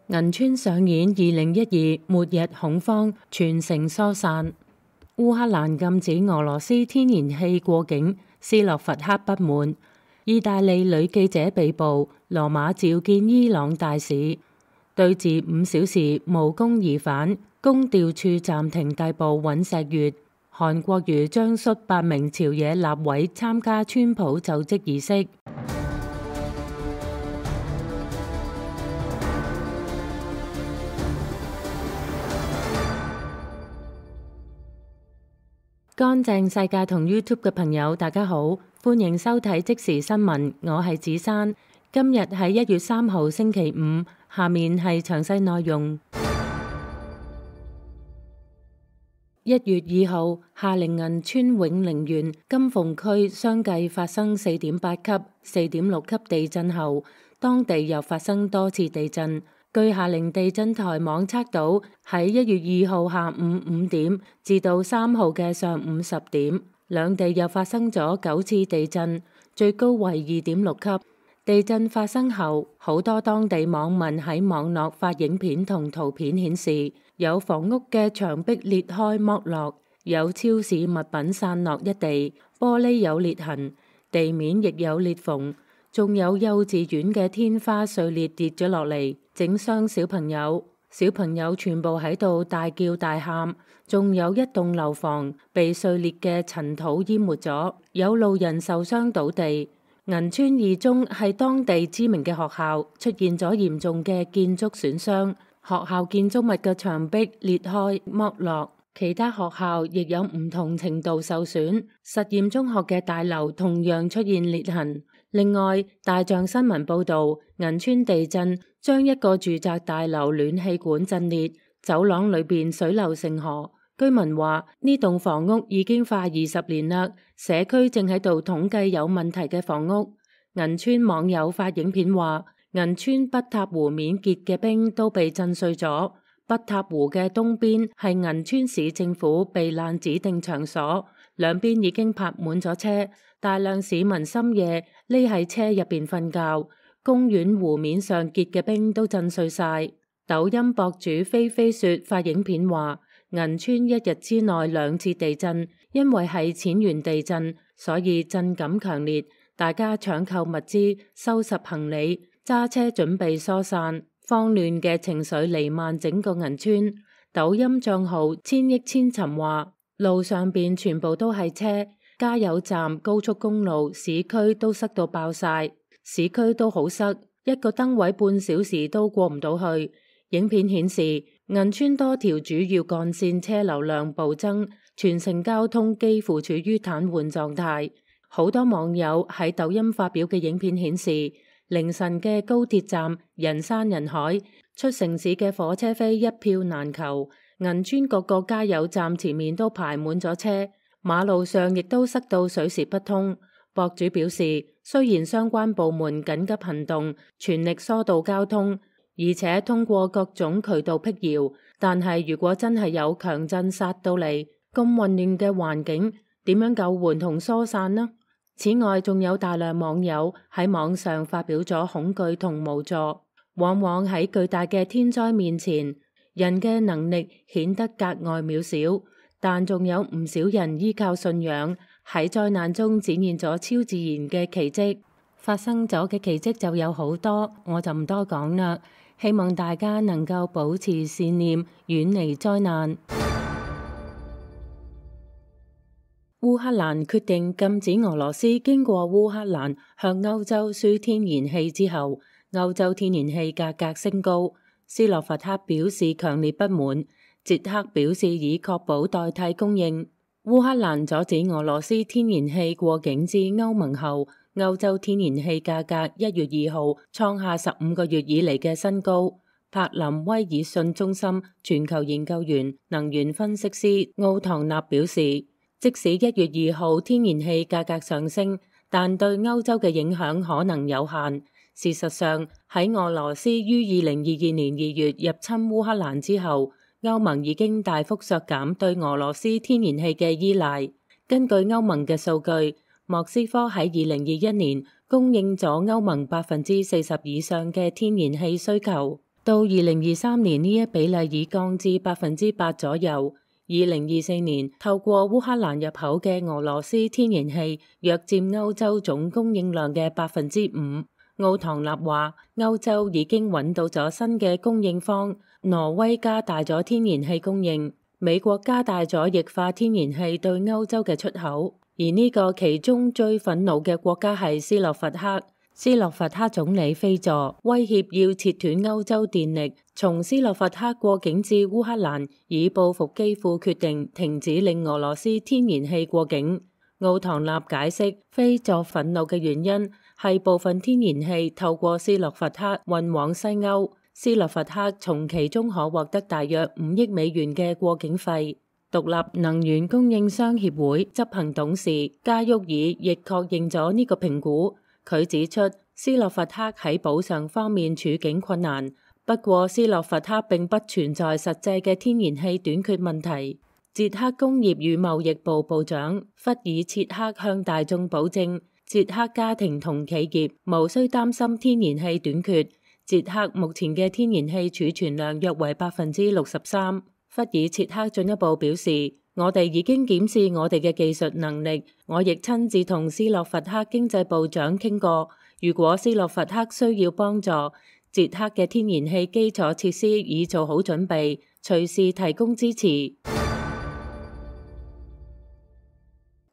銀川上演2012末日恐慌，全城疏散。烏克蘭禁止俄羅斯天然氣過境，斯洛伐克不滿。意大利女記者被捕，羅馬召見伊朗大使。對峙5小時無功而返，公調處暫停逮捕尹錫悅。韓國瑜將率8名朝野立委參加川普就職儀式。乾淨世界同 YouTube 嘅朋友，大家好，歡迎收睇即時新聞，我係子珊。今日係1月3號星期五，下面係詳細內容。1月2號，夏令銀川永寧縣金鳳區相繼發生4.8級、4.6級地震後，當地又發生多次地震。據夏令地震台網測到，喺1月2號下午5點至到3號嘅上午10點，兩地又發生咗9次地震，最高為2.6級。地震發生後，好多當地網民喺網絡發影片同圖片顯示，有房屋嘅牆壁裂開剝落，有超市物品散落一地，玻璃有裂痕，地面亦有裂縫。仲有幼稚園嘅天花碎裂跌咗落嚟，整傷小朋友。小朋友全部喺度大叫大喊。仲有一棟樓房被碎裂嘅塵土淹沒咗，有路人受傷倒地。銀川二中係當地知名嘅學校，出現咗嚴重嘅建築損傷，學校建築物嘅牆壁裂開剝落。其他學校亦有唔同程度受損，實驗中學嘅大樓同樣出現裂痕。另外，大象新聞報道，銀川地震將一個住宅大樓暖氣管震裂，走廊裏邊水流成河。居民話呢棟房屋已經快20年啦，社區正喺度統計有問題嘅房屋。銀川網友發影片話，銀川北塔湖面結嘅冰都被震碎咗。北塔湖嘅東邊係銀川市政府避難指定場所，兩邊已經泊滿咗車，大量市民深夜匿喺車入邊瞓覺。公園湖面上結嘅冰都震碎晒。抖音博主菲菲雪發影片話，銀川一日之內2次地震，因為係淺源地震，所以震感強烈。大家搶購物資、收拾行李、揸車準備疏散。慌亂嘅情緒彌漫整個銀川。抖音賬號千億千尋話，路上邊全部都係車，加油站、高速公路、市區都塞到爆晒，市區都好塞，一個燈位半小時都過唔到去。影片顯示，銀川多條主要幹線車流量暴增，全城交通幾乎處於癱瘓狀態。好多網友喺抖音發表嘅影片顯示，凌晨嘅高鐵站人山人海，出城市嘅火車飛一票難求。銀川各個加油站前面都排滿咗車，馬路上亦都塞到水泄不通。博主表示，雖然相關部門緊急行動，全力疏導交通，而且通過各種渠道闢謠，但係如果真係有強震殺到嚟，咁混亂嘅環境，點樣救援同疏散呢？此外，仲有大量網友喺網上發表咗恐懼同無助。往往喺巨大嘅天災面前，人嘅能力顯得格外渺小，但仲有唔少人依靠信仰，喺災難中展現咗超自然嘅奇蹟。發生咗嘅奇蹟就有好多，我就唔多講啦。希望大家能夠保持善念，遠離災難。烏克蘭決定禁止俄羅斯經過烏克蘭向歐洲輸天然氣之後，歐洲天然氣價格升高。斯洛伐克表示強烈不滿，捷克表示以確保代替供應。烏克蘭阻止俄羅斯天然氣過境至歐盟後，歐洲天然氣價格1月2號創下15個月以嚟嘅新高。柏林威爾遜中心全球研究員、能源分析師奧唐納表示，即使1月2號天然氣價格上升，但對歐洲嘅影響可能有限。事實上，喺俄羅斯於2022年2月入侵烏克蘭之後，歐盟已經大幅削減對俄羅斯天然氣嘅依賴。根據歐盟嘅數據，莫斯科喺2021年供應咗歐盟40%以上嘅天然氣需求。到2023年呢一比例已降至8%左右。2024年透過烏克蘭入口嘅俄羅斯天然氣約佔歐洲總供應量嘅5%。奧唐納話，歐洲已經揾到咗新嘅供應方，挪威加大咗天然氣供應，美國加大咗液化天然氣對歐洲嘅出口，而呢個其中最憤怒嘅國家係斯洛伐克。斯洛伐克總理菲佐威脅要切斷歐洲電力，從斯洛伐克過境至烏克蘭，以報復基輔決定停止令俄羅斯天然氣過境。奧唐納解釋，菲佐憤怒嘅原因係部分天然氣透過斯洛伐克運往西歐，斯洛伐克從其中可獲得大約5億美元嘅過境費。獨立能源供應商協會執行董事加沃爾亦確認咗呢個評估。佢指出，斯洛伐克喺補償方面處境困難，不過斯洛伐克並不存在實際嘅天然氣短缺問題。捷克工業與貿易部部長弗爾切克向大眾保證，捷克家庭同企業無需擔心天然氣短缺。捷克目前嘅天然氣儲存量約為63%。弗爾切克進一步表示，我哋已經檢視我哋嘅技術能力，我亦親自同斯洛伐克經濟部長傾過。如果斯洛伐克需要幫助，捷克嘅天然氣基礎設施已做好準備，隨時提供支持。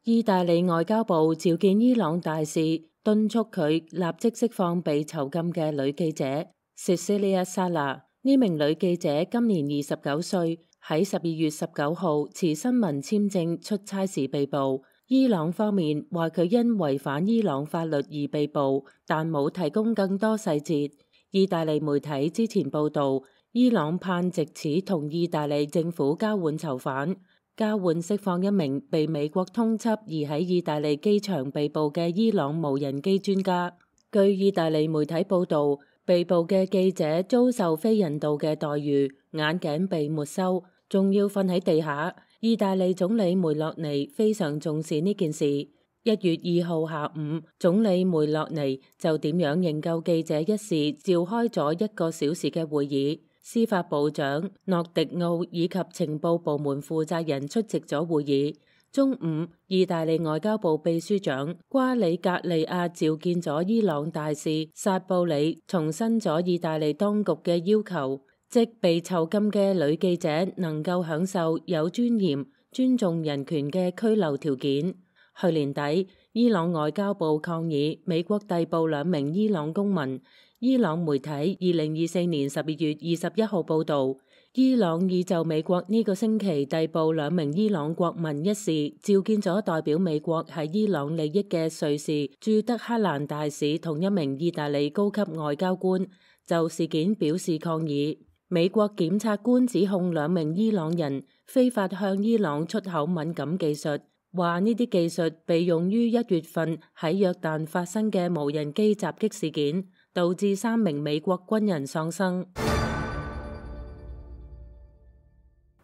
意大利外交部召見伊朗大使，敦促佢立即釋放被囚禁嘅女記者 Cecilia Sala。呢名女記者今年29歲，喺12月19號持新聞簽證出差時被捕。伊朗方面話佢因違反伊朗法律而被捕，但冇提供更多細節。意大利媒體之前報道，伊朗盼藉此同意大利政府交換囚犯，交換釋放一名被美國通緝而喺意大利機場被捕嘅伊朗無人機專家。據意大利媒體報道，被捕嘅記者遭受非人道嘅待遇，眼鏡被沒收，仲要瞓喺地下。意大利總理梅洛尼非常重視呢件事。1月2號下午，總理梅洛尼就點樣營救記者一事召開咗1個小時嘅會議，司法部長諾迪奧以及情報部門負責人出席咗會議。中午，意大利外交部秘書長瓜里格利亞召見咗伊朗大使薩布里，重申咗意大利當局嘅要求，即被囚禁嘅女記者能夠享受有尊嚴、尊重人權嘅拘留條件。去年底，伊朗外交部抗議美國逮捕2名伊朗公民。伊朗媒體2024年12月21號報導，伊朗已就美國呢個星期逮捕2名伊朗國民一事，召見咗代表美國喺伊朗利益嘅瑞士駐德黑蘭大使同1名意大利高級外交官，就事件表示抗議。美國檢察官指控2名伊朗人非法向伊朗出口敏感技術，話呢啲技術被用於1月份喺約旦發生嘅無人機襲擊事件，導致3名美國軍人喪生。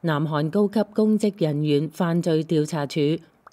南韓高級公職人員犯罪調查處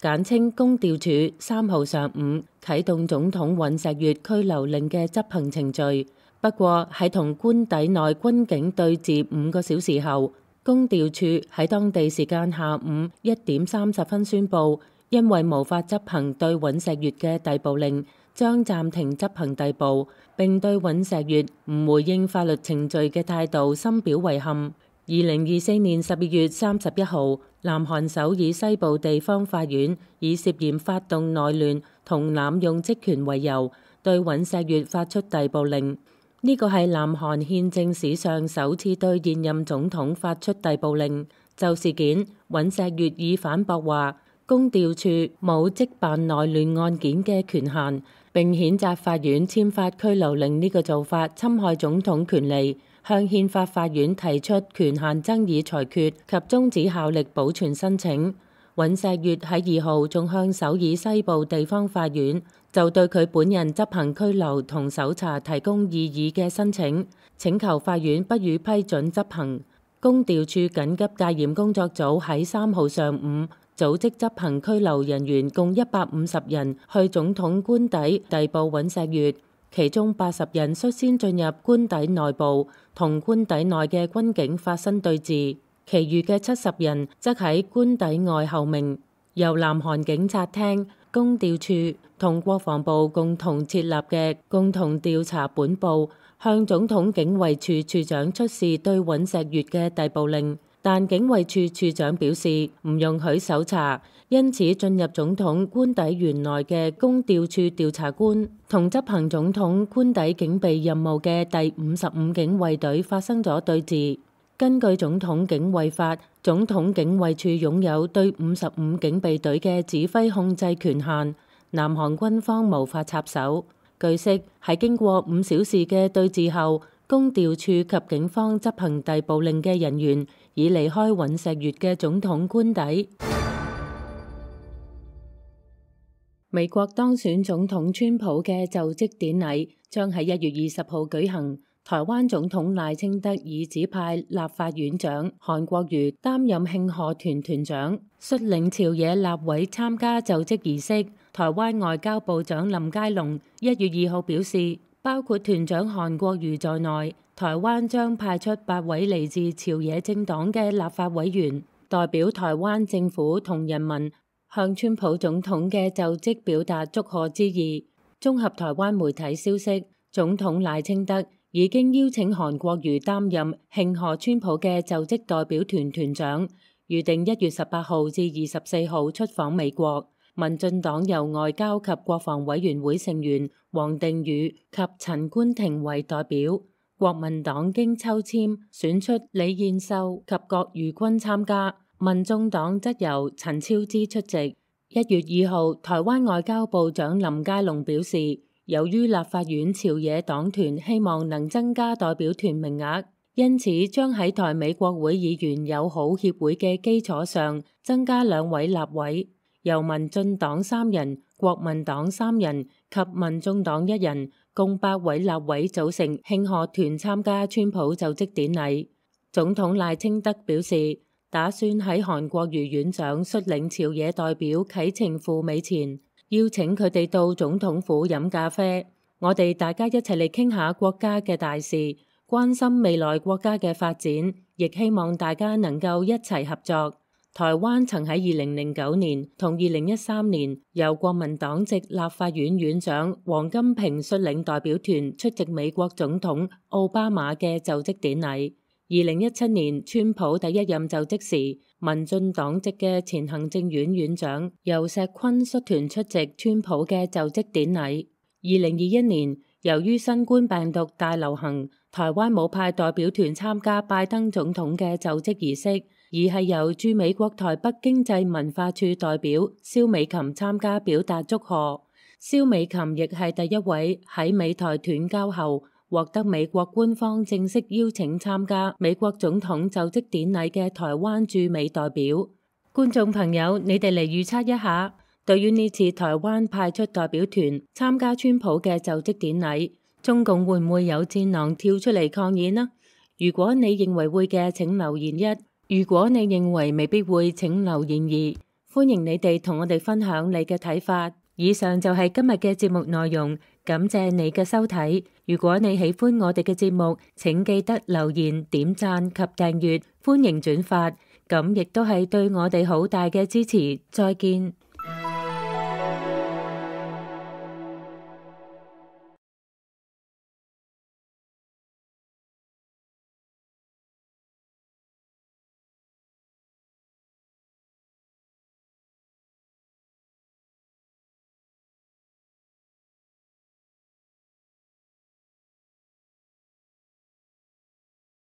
簡稱公調處3號上午啟動總統尹錫悅拘留令嘅執行程序，不過喺同官邸內軍警對峙5個小時後，公調處喺當地時間下午1點30分宣布，因為無法執行對尹錫悅嘅逮捕令，將暫停執行逮捕，並對尹錫悅唔回應法律程序嘅態度深表遺憾。2024年12月31號，南韓首爾西部地方法院以涉嫌發動內亂同濫用職權為由，對尹錫悅發出逮捕令。呢個係南韓憲政史上首次對現任總統發出逮捕令。就事件，尹錫悅已反駁話，公調處冇偵辦內亂案件嘅權限，並譴責法院簽發拘留令呢個做法侵害總統權利，向憲法法院提出權限爭議裁決及終止效力保存申請。尹錫悅喺2號仲向首爾西部地方法院就對佢本人執行拘留同搜查提供異議嘅申請，請求法院不予批准執行。公調處緊急戒嚴工作組喺3號上午組織執行拘留人員共150人去總統官邸逮捕尹錫悅。其中80人率先進入官邸內部，同官邸內嘅軍警發生對峙，其餘嘅70人則喺官邸外候命。由南韓警察廳、公調處同國防部共同設立嘅共同調查本部向總統警衛處處長出示對尹錫悅嘅逮捕令，但警衛處處長表示唔容許搜查，因此進入總統官邸園內嘅公調處調查官同執行總統官邸警備任務嘅第55警衛隊發生咗對峙。根據總統警衛法，總統警衛處擁有對55警備隊嘅指揮控制權限，南韓軍方無法插手。據悉，喺經過5小時嘅對峙後，公調處及警方執行逮捕令嘅人員已離開尹錫悅嘅總統官邸。美國當選總統川普嘅就職典禮將喺1月20號舉行。台灣總統賴清德已指派立法院長韓國瑜擔任慶賀團團長，率領朝野立委參加就職儀式。台灣外交部長林佳龍1月2號表示，包括團長韓國瑜在內，台灣將派出8位嚟自朝野政黨嘅立法委員，代表台灣政府同人民向川普總統嘅就職表達祝賀之意。綜合台灣媒體消息，總統賴清德已經邀請韓國瑜擔任慶賀川普嘅就職代表團團長，預定1月18號至24號出訪美國。民進黨由外交及國防委員會成員王定宇及陳冠廷為代表，國民黨經抽籤選出李彥秀及郭如君參加，民眾黨則由陳超之出席。1月2號，台灣外交部長林佳龍表示，由於立法院朝野黨團希望能增加代表團名額，因此將喺台美國會議員友好協會嘅基礎上增加2位立委，由民進黨3人、國民黨3人及民眾黨1人，共8位立委組成慶賀團參加川普就職典禮。總統賴清德表示，打算喺韓國瑜院長率領朝野代表啟程赴美前，邀請佢哋到總統府飲咖啡，我哋大家一齊嚟傾下國家嘅大事，關心未來國家嘅發展，亦希望大家能夠一齊合作。台灣曾喺2009年同2013年由國民黨籍立法院院長王金平率領代表團出席美國總統奧巴馬嘅就職典禮。2017年川普第一任就職時，民進黨籍嘅前行政院院長游錫堃率團出席川普嘅就職典禮。2021年，由於新冠病毒大流行，台灣冇派代表團參加拜登總統嘅就職儀式，而係由駐美國台北經濟文化處代表蕭美琴參加表達祝賀。蕭美琴亦係第一位喺美台斷交後獲得美國官方正式邀請參加美國總統就職典禮嘅台灣駐美代表。觀眾朋友，你哋嚟預測一下，對於呢次台灣派出代表團參加川普嘅就職典禮，中共會唔會有戰狼跳出嚟抗議呢？如果你認為會嘅，請留言1；如果你認為未必會，請留言2。歡迎你哋同我哋分享你嘅睇法。以上就係今日嘅節目內容，感謝你嘅收睇。如果你喜歡我哋嘅節目，請記得留言、點讚及訂閱，歡迎轉發，咁亦都係對我哋好大嘅支持。再見。